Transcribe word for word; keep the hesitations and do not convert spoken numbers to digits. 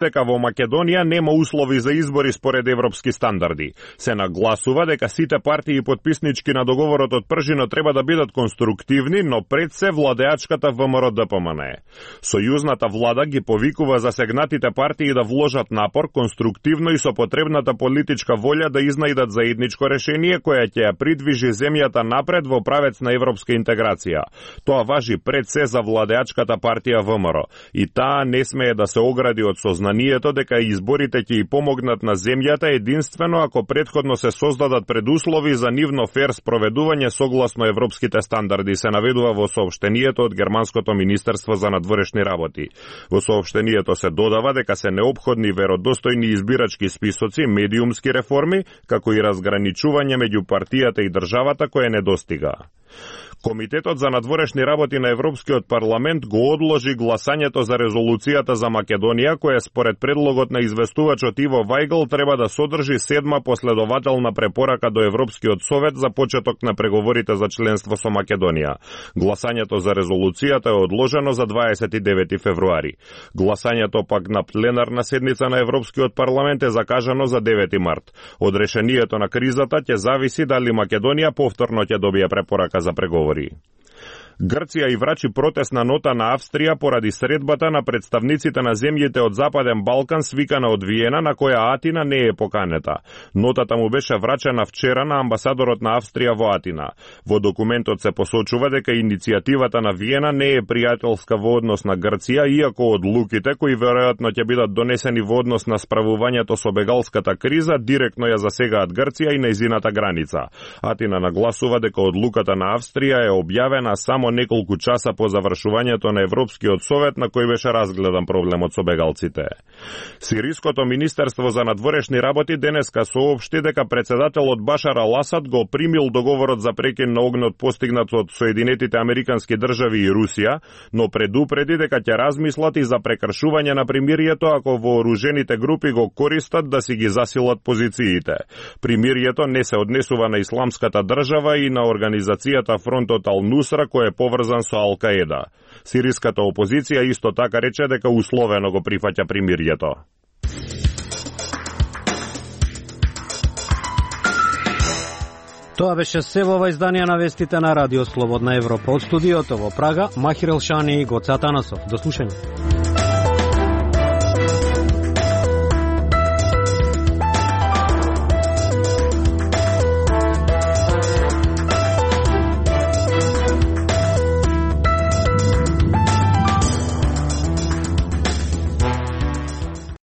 дека во Македонија нема услови за избори според европски стандарди. Се нагласува дека сите партии подписнички на договорот од пржино треба да бидат конструктивни, но пред се владеачката ВМРО Д П М Н Е. Сојузната влада ги повикува засегнатите партии да вложат напор конструктивно и со потребната политичка волја да изнајдат заедничко решение кое ќе ја придвижи земјата напред во правец на европска интеграција. Тоа важи пред се за владеачката партија ВМРО и таа не смее да се огради од сознанието дека изборите ќе и помогнат на земјата единствено ако предходно се создадат предуслови за нивно фер спроведување согласно европските стандарди, се наведува во соопштението од Германското министерство за надворешни работи. Во соопштението се додава дека се неопходни веродостојни избирачки списоци, медиумски реформи, како и разграничување меѓу партијата и државата кое недостига. Комитетот за надворешни работи на Европскиот парламент го одложи гласањето за резолуцијата за Македонија, која според предлогот на известувачот Иво Вајгл треба да содржи седма последователна препорака до Европскиот совет за почеток на преговорите за членство со Македонија. Гласањето за резолуцијата е одложено за дваесет и девети февруари. Гласањето пак на пленарна седница на Европскиот парламент е закажано за девети март. Од решението на кризата ќе зависи дали Македонија повторно ќе добие препорака за преговори. Грција и врачи протестна нота на Австрија поради средбата на представниците на земјите од Западен Балкан свикана од Виена, на која Атина не е поканета. Нотата му беше врачена вчера на амбасадорот на Австрија во Атина. Во документот се посочува дека иницијативата на Виена не е пријателска во однос на Грција, иако одлуките кои веројатно ќе бидат донесени во однос на справувањето со бегалската криза директно ја засегаат Грција и нејзината граница. Атина нагласува дека одлуката на Австрија е објавена само неколку часа по завршувањето на Европскиот совет на кој беше разгледан проблемот со бегалците. Сириското министерство за надворешни работи денеска соопшти дека председателот Башар ал-Асад го примил договорот за прекин на огнот постигнат од Соединетите Американски држави и Русија, но предупреди дека ќе размислат и за прекршување на примирието ако вооружените групи го користат да си ги засилат позициите. Примирието не се однесува на Исламската држава и на организацијата Фронтот Ал-Нусра кој е поврзан со Ал-Каеда. Сириската опозиција исто така рече дека условено го прифаќа примирието. Тоа беше се во ова издание на вестите на Радио Слободна Европа. Од студиото во Прага, Махир Елшани и Гоце Атанасов. До слушање.